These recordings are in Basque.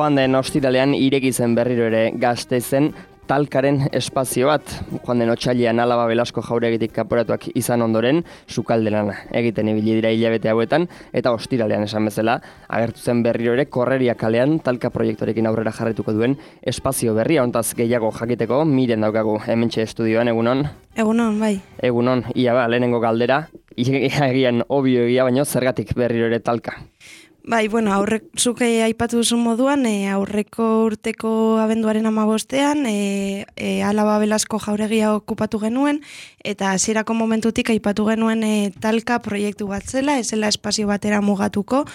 Joan den ostiralean ireki zen berriro ere Gasteizen talkaren espazio bat. Joan den otsailean Alaba Belasko jauregitik kanporatuak izan ondoren, sukalderan egiten ibili dira hilabete hauetan, eta ostiralean esan bezala, agertu zen berriro ere Korreria kalean talka proiektorekin aurrera jarrituko duen espazio berria. Hontaz gehiago jakiteko, Miren daukagu hementxe estudioan, egunon? Egunon, bai. Egunon, lehenengo galdera, egian obio egia, baino zergatik berriro ere talka? Bai, bueno, zuke aipatu duzun moduan, aurreko urteko abenduaren 15ean, Alaba Belasko jauregia okupatu genuen, eta hasierako momentutik aipatu genuen talka proiektu bat zela, ez zela espazio batera mugatuko.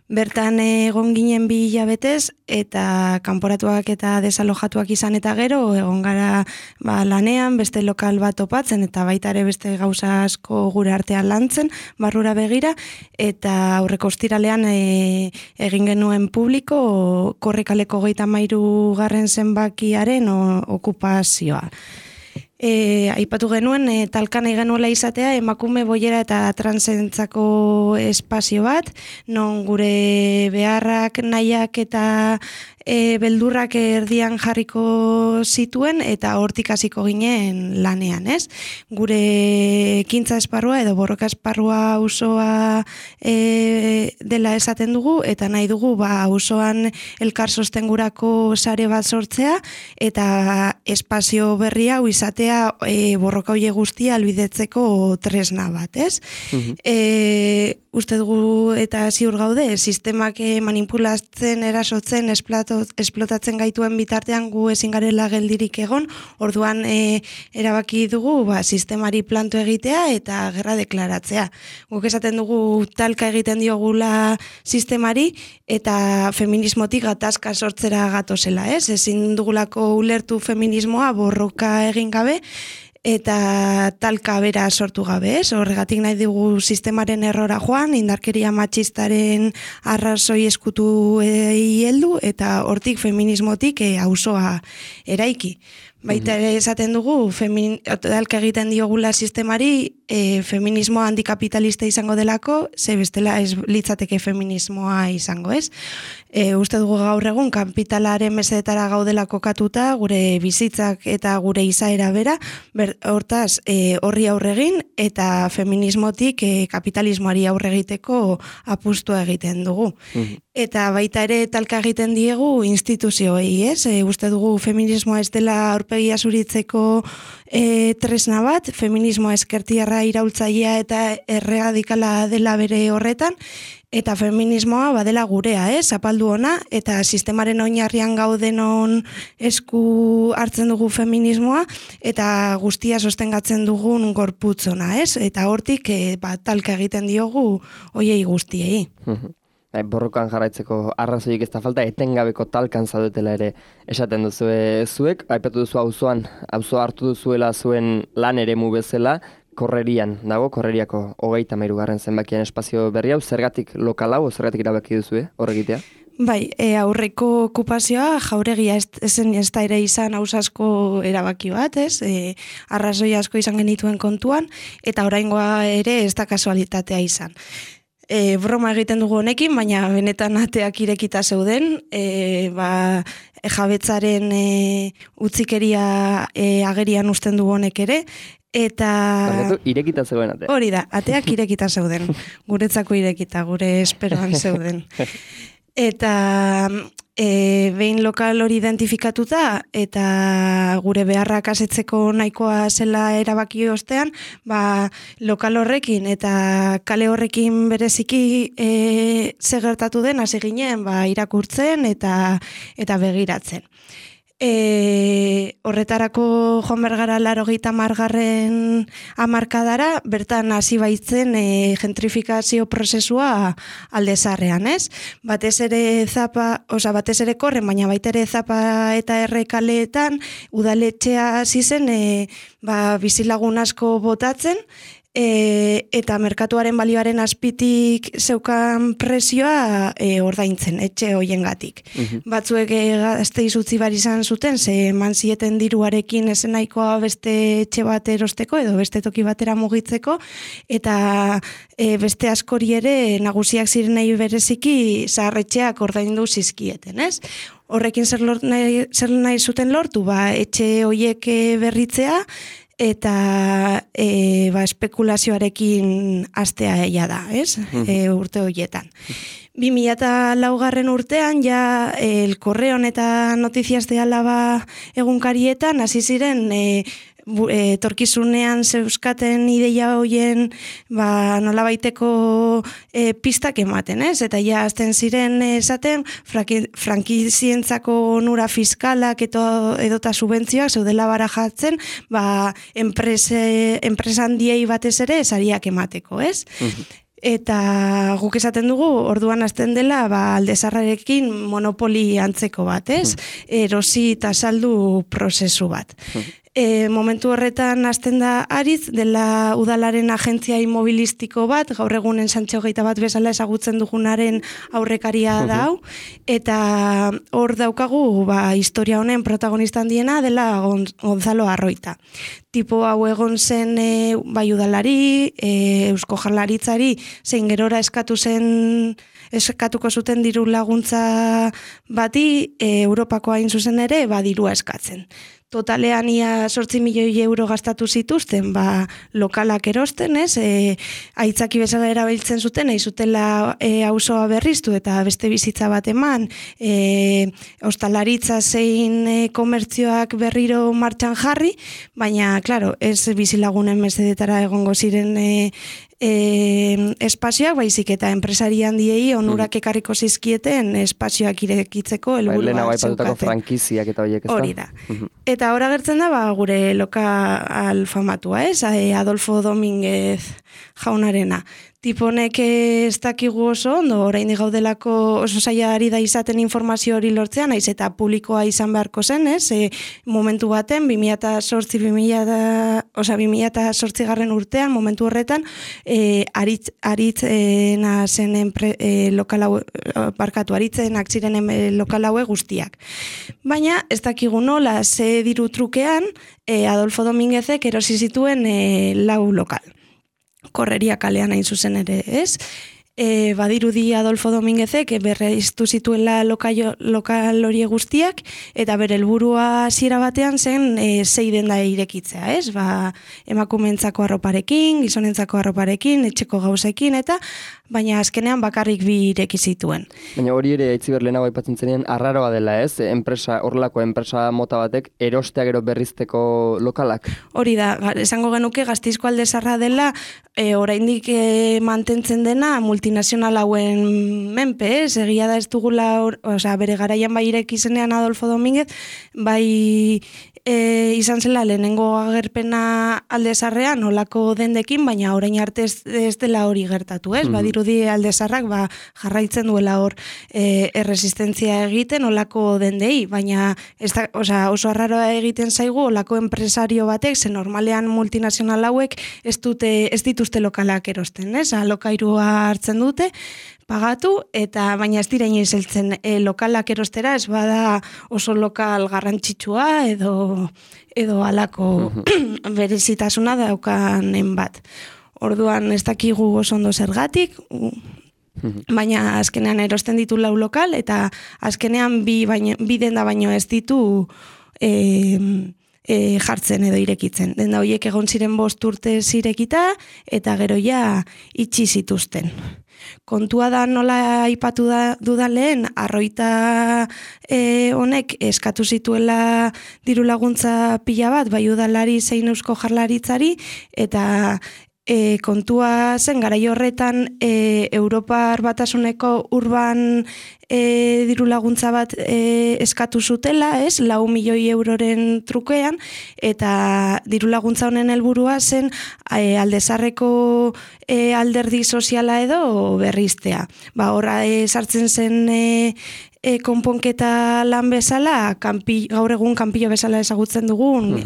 Bertan egon ginen 2 hilabetez, eta kanporatuak eta desalojatuak izan eta gero, egon gara lanean, beste lokal bat topatzen, eta baita ere beste gauza asko gure artean lantzen, barrura begira, eta aurreko ostiralean egin genuen publiko, Korrikaleko 33. zenbakiaren okupazioa. Aipatu genuen talkan egin nuela izatea emakume boiera eta transentzako espazio bat, non gure beharrak, nahiak eta beldurrak erdian jarriko zituen eta hortik hasiko ginen lanean, ez? Gure ekintza esparrua edo borroka esparrua auzoa dela esaten dugu, eta nahi dugu auzoan elkar sostengurako sare bat sortzea eta espazio berri hau izatea borroka hoe guztia albidetzeko tresna bat, ez? Uste dugu eta ziur gaude, sistemak manipulatzen, erasotzen, esplotatzen gaituen bitartean gu ezin garela geldirik egon, orduan erabaki dugu sistemari planto egitea eta gerra deklaratzea. Guk esaten dugu talka egiten diogula sistemari eta feminismotik gatazka sortzera gatozela, ez? Ezin dugulako ulertu feminismoa borroka egin gabe, eta talka bera sortu gabe, ez? Horregatik nahi dugu sistemaren errora joan, indarkeria matxistaren arrazoi eskutu heldu, eta hortik feminismotik auzoa eraiki. Baita ere esaten dugu, talka egiten diogula sistemari, feminismoa antikapitalista izango delako, ze bestela ez litzateke feminismoa izango, ez? Uste dugu gaur egun kapitalaren mesedetara gaudela kokatuta, gure bizitzak eta gure izaera bera, hortaz horri aurregin eta feminismotik kapitalismoari aurre egiteko apustua egiten dugu. Eta baita ere talka egiten diegu instituzioei, ez? Uste dugu feminismoa ez dela aurpegia zuritzeko tresna bat, feminismoa ezkertiarra iraultzailea eta erradikala dela bere horretan, eta feminismoa badela gurea, zapaldu ona, eta sistemaren oinarrian gaudenon esku hartzen dugu feminismoa, eta guztia sostengatzen dugun gorputzona, eta hortik talka egiten diogu hoiei guztiei. Borrokan jarraitzeko arrazoik ez da falta, etengabeko talkan zaudetela ere esaten duzu zuek, aipatu duzu auzoa hartu duzuela zuen lan eremu bezala, Korrerian dago, Korreriako 33. zenbakian espazio berri hau, zergatik lokal hau, zergatik erabaki duzu horregitea? Bai, aurreko okupazioa jauregia ez da ere izan asko erabaki bat, ez? Arrazoi asko izan genituen kontuan, eta oraingoa ere ez da kasualitatea izan. Broma egiten dugu honekin, baina benetan ateak irekita zeuden, jabetzaren utzikeria agerian uzten du honek ere, eta... Irekita zeuden ateak. Hori da, ateak irekita zeuden, guretzako irekita, gure esperoan zeuden. Eta behin lokal hori identifikatuta eta gure beharrak asetzeko nahikoa zela erabaki ostean, lokal horrekin eta kale horrekin bereziki ze gertatu den hasi ginen irakurtzen eta begiratzen. Horretarako joan bergara 80. hamarkadara, bertan hasi baitzen gentrifikazio prozesua alde zaharrean, ez? Batez ere Korren, baina baita ere Zapa eta Errekaleetan udaletxea hasi zen bizilagun asko botatzen, eta merkatuaren balioaren azpitik zeukan presioa ordaintzen, etxe hoiengatik. Batzuek gazteiz utzi bar izan zuten, ze eman zieten diruarekin esen nahikoa beste etxe bat erosteko edo beste toki batera mugitzeko, eta beste askori ere nagusiak zirenei bereziki zaharretxeak ordaindu zizkieten, ez? Horrekin zer nahi zuten lortu, etxe hoiek berritzea, eta espekulazioarekin astea eia da, ez? Urte horietan. 2004 urtean, ja, El Correon eta Noticias de Álava egunkarietan, hasi ziren etorkizunean zeuskaten ideia hoien nolabaiteko pistak ematen, ez? Eta ja azten ziren esaten frankizientzako onura fiskalak edota subentzioak zeudela barajatzen enpresa handiei batez ere sariak emateko, ez? Eta guk esaten dugu, orduan hasten dela Aldezarrarekin monopoli antzeko bat, ez? Erosi eta saldu prozesu bat. Momentu horretan hasten da Aritz, dela udalaren agentzia inmobilistiko bat, gaur egunen Santxo Geita bat bezala ezagutzen dugunaren aurrekaria da hau, eta hor daukagu historia honen protagonista handiena dela Gonzalo Arroita. Tipo hau egon zen bai udalari, Eusko Jaurlaritzari, zein gerora eskatuko zuten diru laguntza bati, Europako hain zuzen ere, dirua eskatzen. Totalean ia 8 milioi euro gastatu zituzten, lokalak erosten, ez? Aitzaki bezala erabiltzen zuten, nahi zutela auzoa berriztu eta beste bizitza bat eman, ostalaritza zein komertzioak berriro martxan jarri, baina, klaro, ez bizilagunen mesedetara egongo ziren espazioak, baizik eta enpresari handiei onurak ekarriko zizkieten espazioak irekitzeko helburua zeukaten. Lehenago aipatutako frankiziak eta horiek, ez da? Hori da. Eta ora gertzen da, gure lokal famatua, ez? Adolfo Domínguez jaunarena. Tiponek ez dakigu oso ondo, oraindik gaudelako oso zaila ari da izaten informazio hori lortzean, naiz eta publikoa izan beharko zen, ez? Momentu baten, 2008 garren urtean, momentu horretan, aritzena zen aritzenak ziren lokal haue guztiak. Baina, ez dakigu nola, ze diru trukean, Adolfo Domínguezek erosi zituen 4 lokal. Korreria kalean hain zuzen ere, ez? Badirudi Adolfo Domínguezek berreiztu zituela lokal hori guztiak, eta bere helburua hasiera batean zen 6 denda irekitzea, ez? Emakumeentzako arroparekin, gizonentzako arroparekin, etxeko gauzekin, eta baina azkenean bakarrik 2 ireki zituen. Baina hori ere Aitziber lehenago aipatzen zenean arraroa dela, ez? Horrelako enpresa mota batek erostea gero berrizteko lokalak. Hori da, esango genuke Gasteizko Aldezarra dela oraindik mantentzen dena multinazional hauen menpe, ez? Egia da ez dugula, bere garaian bai ireki zenean Adolfo Domínguez, bai izan zela lehenengo agerpena Aldezarrean olako dendekin, baina orain arte ez dela hori gertatu, ez? Badirudi Aldezarrak jarraitzen duela hor erresistentzia egiten olako dendei, baina oso arraroa egiten zaigu olako enpresario batek, ze normalean multinazional hauek ez dituzte lokalak erosten, ez? Alokairua hartzen dute, pagatu, eta baina ez dira inoiz heltzen lokalak erostera, ez bada oso lokal garrantzitsua edo alako berezitasuna daukanen bat. Orduan ez dakigu oso ondo zergatik, baina azkenean erosten ditu 4 lokal, eta azkenean 2 denda baino ez ditu jartzen edo irekitzen. Denda horiek egon ziren 5 urte irekita, eta gero ja itxi zituzten. Kontua da nola aipatu dudan lehen, Arroita honek eskatu zituela diru laguntza pila bat, bai udalari zein Eusko Jaurlaritzari, eta kontua zen garai horretan Europar Batasuneko urban diru laguntza bat eskatu zutela, 4 milioi euroren trukean, eta diru laguntza honen helburua zen Alde Zaharreko alderdi soziala edo berriztea. Horra sartzen zen konponketa lan bezala, gaur egun kanpillo bezala ezagutzen dugun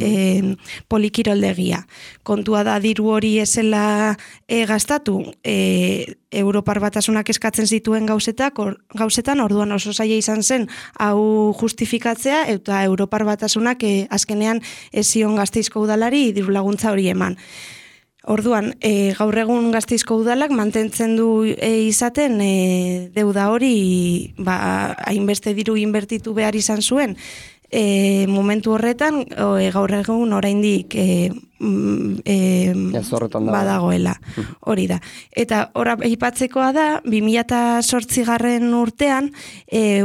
polikiroldegia. Kontua da diru hori ezela gastatu Europar Batasunak eskatzen zituen gauzetan, orduan oso zaila izan zen hau justifikatzea, eta Europar Batasunak azkenean ez zion Gasteizko udalari diru laguntza hori eman. Orduan, gaur egun Gasteizko udalak mantentzen du izaten deuda hori hainbeste diru inbertitu behar izan zuen. Momentu horretan, gaur egun oraindik badagoela. Hori da. Eta hor aipatzekoa da, 2008 urtean,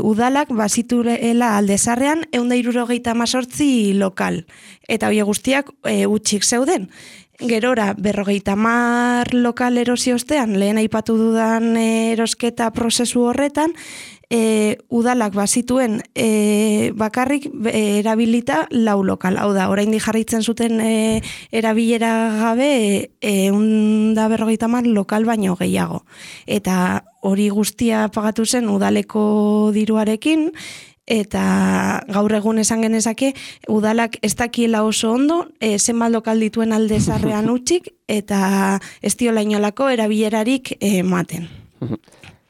udalak bazituela Alde Zaharrean 178 lokal. Eta hori guztiak utxik zeuden. Gerora, 50 lokal erosi ostean, lehen aipatu dudan erosketa prozesu horretan, udalak bazituen bakarrik erabilita 4 lokal. Hau da, oraindik jarraitzen zuten erabilera gabe 150 lokal baino gehiago. Eta hori guztia pagatu zen udaleko diruarekin, eta gaur egun esan genezake udalak ez dakiela oso ondo zenbat lokal dituen Alde Zaharrean utzik eta ez diola inolako erabilerarik ematen.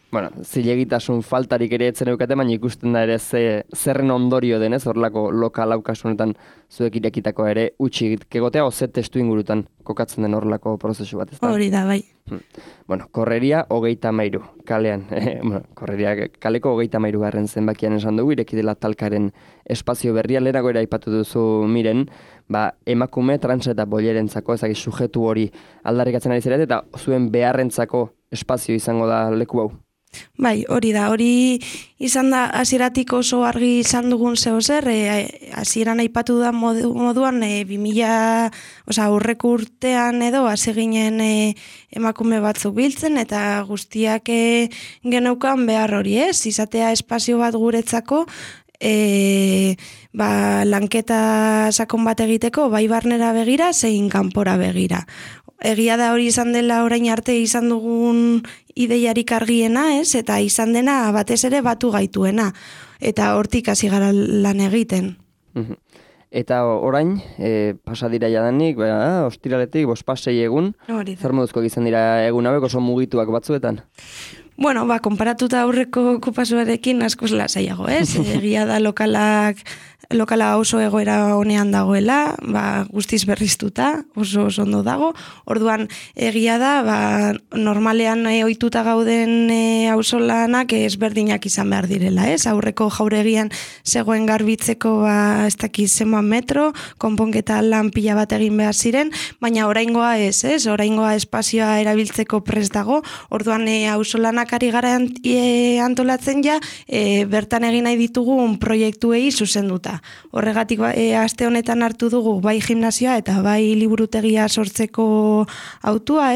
Bueno, zilegitasun faltarik ere etzen eukate, baina ikusten da ere zerren ondorio denez, horrelako lokal haukasunetan zuek irekitako ere utxik kegotea, oze testu ingurutan kokatzen den horrelako prozesu bat, ez da? Hori da, bai. Bueno, korreria 33, kalean, korreria kaleko 33 garren zenbakian esan dugu, ireki dela talkaren espazio berria, lehenago ere aipatu duzu Miren, emakume, trans eta bolerentzako, ezagik sujetu hori aldarrikatzen ari zeret, eta zuen beharrentzako espazio izango da leku hau. Bai, hori da, hori izan da hasieratik oso argi izan dugun zehozer, hasieran aipatu da moduan 2000, aurreko urtean edo hasi ginen emakume batzuk biltzen eta guztiak geneukan behar hori, izatea espazio bat guretzako, lanketa sakon bat egiteko, bai barnera begira, zein kanpora begira. Egia da hori izan dela orain arte izan dugun ideiarik argiena, eta izan dena batez ere batu gaituena, eta hortik hasi gara lan egiten. Eta orain, pasadira jadanik, ostiraletik, 5-6 egun, zer moduzkoak izan dira egun hauek oso mugituak batzuetan? Bueno, konparatuta aurreko okupazioarekin askoz lasaiago, Egia da lokala oso egoera honean dagoela, guztiz berriztuta, oso ondo dago. Orduan, egia da, normalean ohituta gauden auzolanak ezberdinak izan behar direla, Aurreko jauregian zegoen garbitzeko ez dakiz zenbat metro, konponketa lan pila bat egin behar ziren, baina oraingoa oraingoa espazioa erabiltzeko prest dago. Orduan, auzolanak ari gara antolatzen bertan egin nahi ditugun proiektuei zuzenduta. Horregatik aste honetan hartu dugu bai gimnasioa eta bai liburutegia sortzeko autua,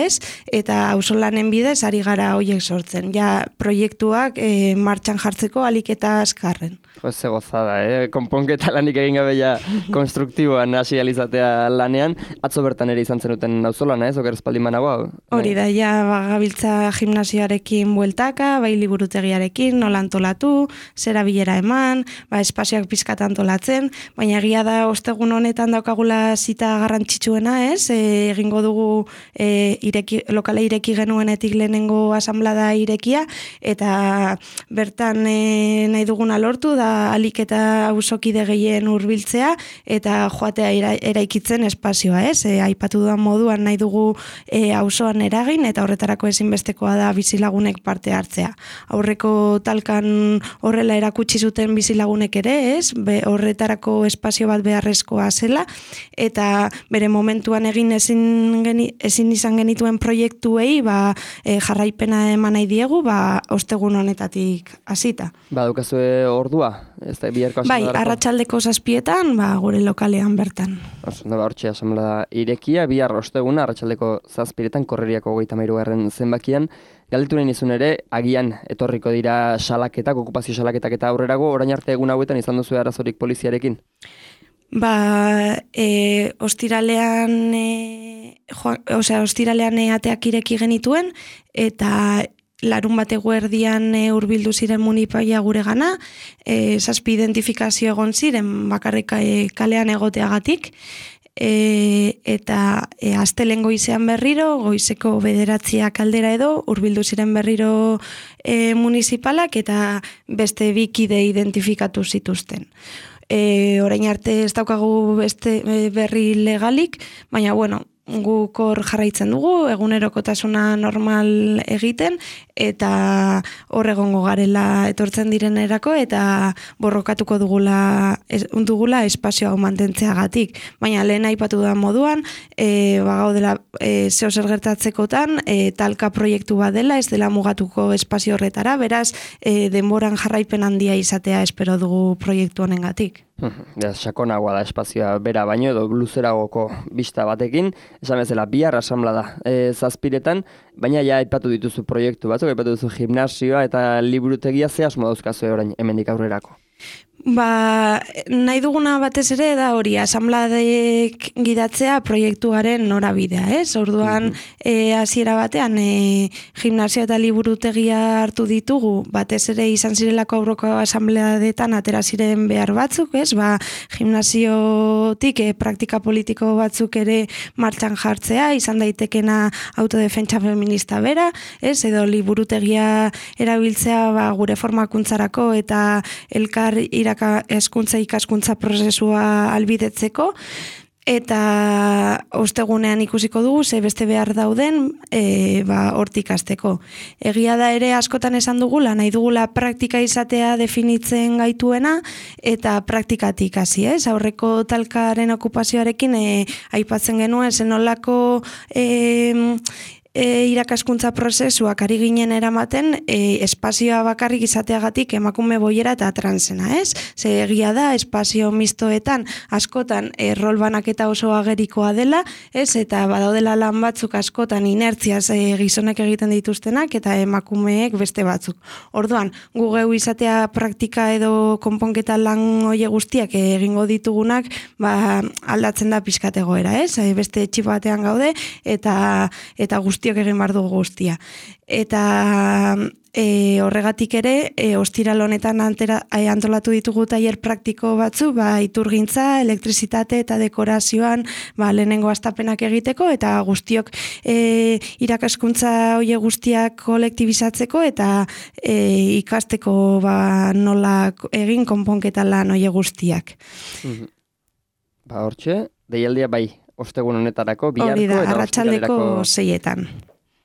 eta auzolanen bidez ari gara hoiek sortzen. Proiektuak martxan jartzeko ahalik eta azkarren. Ze gozada, konponketa lanik egin gabe konstruktiboan hasi alizatea lanean. Atzo bertan ere izan zenuten auzolan, oker espaldin banagoa? Hori da, gabiltza gimnasioarekin bueltaka, bai liburutegiarekin, nola antolatu, zera bilera eman, espazioak pizkat antolatzen, baina egia da ostegun honetan daukagula zita garrantzitsuena, egingo dugu lokala ireki genuenetik lehenengo asamblada irekia, eta bertan nahi duguna lortu da alik eta auzokide gehien hurbiltzea eta joatea eraikitzen espazioa, aipatu dudan moduan nahi dugu auzoan eragin eta horretarako ezinbestekoa da bizilagunek parte hartzea. Aurreko talkan horrela erakutsi zuten bizilagunek ere, horretarako espazio bat beharrezkoa zela, eta bere momentuan egin ezin izan genituen proiektuei jarraipena eman nahi diegu, ostegun honetatik hasita. Daukazue ordua, Ez da, biharko Bai, asamblearako? arratsaldeko 7etan, gure lokalean bertan. Hortxe asamblea irekia, bihar osteguna, arratsaldeko 7etan, korreriako 33. zenbakian. Galdetu nahi nizun ere, agian etorriko dira salaketak, okupazio salaketak eta aurrerago, orain arte egun hauetan izan duzu arazorik poliziarekin? Ostiralean ateak ireki genituen, eta larun bat eguerdian hurbildu ziren munipaia gure gana, 7 identifikazio egon ziren bakarrik kalean egoteagatik, eta astelehen goizean berriro, goizeko 9 aldera edo, hurbildu ziren berriro municipalak eta beste 2 kide identifikatu zituzten. Orain arte ez daukagu beste berri legalik, baina guk hor jarraitzen dugu, egunerokotasuna normal egiten, eta hor egongo garela etortzen direnerako, eta borrokatuko dugula espazio hau mantentzeagatik. Baina lehen aipatu da moduan, gaudela zeo zer gertatzekotan, talka proiektu bat dela, ez dela mugatuko espazio horretara, beraz, denboran jarraipen handia izatea espero dugu proiektu honengatik. Sakonagoa da espazioa bera baino edo luzeragoko bista batekin, esan bezala bihar asamblea da 7etan, baina ja aipatu dituzu proiektu batzuk, aipatu duzu gimnasioa eta liburutegia, ze asmo dauzkazue orain hemendik aurrerako? Nahi duguna batez ere da hori, asanbladek gidatzea proiektuaren norabidea, ez? Orduan, hasiera batean, gimnasio eta liburutegia hartu ditugu, batez ere izan zirelako aurroko asanbladetan atera ziren behar batzuk, ez? Gimnasiotik praktika politiko batzuk ere martxan jartzea, izan daitekena autodefentsa feminista bera, ez? Edo liburutegia erabiltzea gure formakuntzarako eta elkar hezkuntza ikaskuntza prozesua albidetzeko, eta ostegunean ikusiko dugu ze beste behar dauden hortik hasteko. Egia da ere askotan esan dugula, nahi dugula praktika izatea definitzen gaituena, eta praktikatik hasi, ez? Aurreko talkaren okupazioarekin aipatzen genuen zenolako irakaskuntza prozesuak ari ginen eramaten espazioa bakarrik izateagatik emakume boiera eta transena, ez? Ze egia da, espazio mistoetan askotan rol banaketa oso agerikoa dela, ez? Eta badaudela lan batzuk askotan inertziaz gizonek egiten dituztenak eta emakumeek beste batzuk. Orduan, gu geu izatea praktika edo konponketa lan hoie guztiak egingo ditugunak, aldatzen da pixkat egoera, ez? Beste etxip batean gaude eta guztiok egin behar dugu guztia. Eta horregatik ere, ostiral honetan antolatu ditugu tailer praktiko batzu, iturgintza, elektrizitate eta dekorazioan lehenengo astapenak egiteko, eta guztiok irakaskuntza hoie guztiak kolektibizatzeko, eta ikasteko nola egin konponketa lan hoie guztiak. Hortxe, deialdia bai, ostegun honetarako, biharko hori da, eta arratsaldeko 6etan.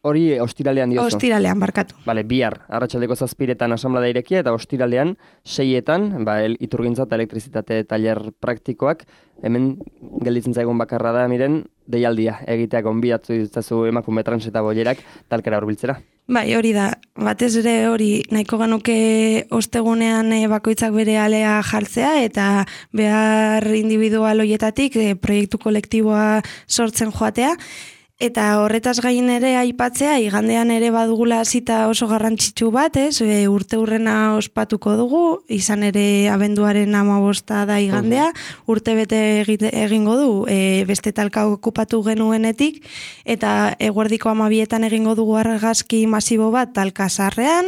Hori ostiralean diozu? Ostiralean, barkatu. Bihar, arratsaldeko 7etan asanblada irekia, eta ostiralean 6etan, iturgintza eta elektrizitate tailer praktikoak, hemen gelditzen zaigun bakarra da, miren, deialdia egitea gonbidatu ditzazu emakume trans eta boierak talkera hurbiltzera. Bai, hori da, batez ere hori nahiko genuke ostegunean bakoitzak bere alea jartzea eta behar individual hoietatik proiektu kolektiboa sortzen joatea. Eta horretaz gain ere aipatzea, igandean ere badugula zita oso garrantzitsu bat, ez? Urte hurrena ospatuko dugu, izan ere abenduaren 15 da igandea, urte bete egingo du, beste talka okupatu genuenetik, eta eguerdiko 12etan egingo dugu argazki masibo bat talka zarrean,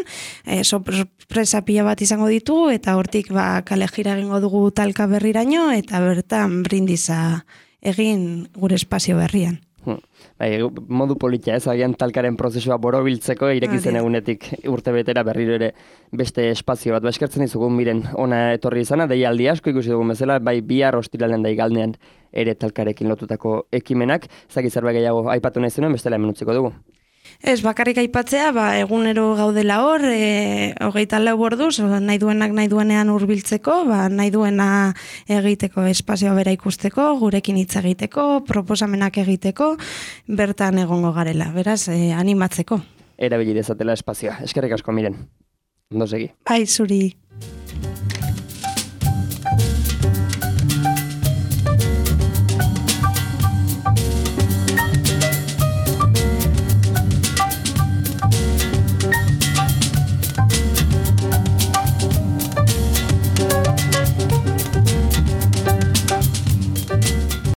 sorpresa pila bat izango ditugu, eta hortik kale jira egingo dugu talka berriraino, eta bertan brindiza egin gure espazio berrian. Modu politia ez, agian talkaren prozesua borobiltzeko irekizen egunetik urte betera berriro ere beste espazio bat. Eskertzen dizugun miren ona etorri izana, deialdi asko ikusi dugun bezala, bai bihar ostiralean da igandean ere talkarekin lotutako ekimenak. Zaki zerbait gehiago aipatu nahi zenuen, bestela hemen utziko dugu. Ez, bakarrik aipatzea, egunero gaudela hor, 24 orduz, nahi duenak nahi duenean hurbiltzeko, nahi duena egiteko, espazioa bera ikusteko, gurekin hitz egiteko, proposamenak egiteko, bertan egongo garela, beraz, animatzeko. Erabili dezatela espazioa. Eskerrik asko, miren. Ondo segi. Bai, zuri.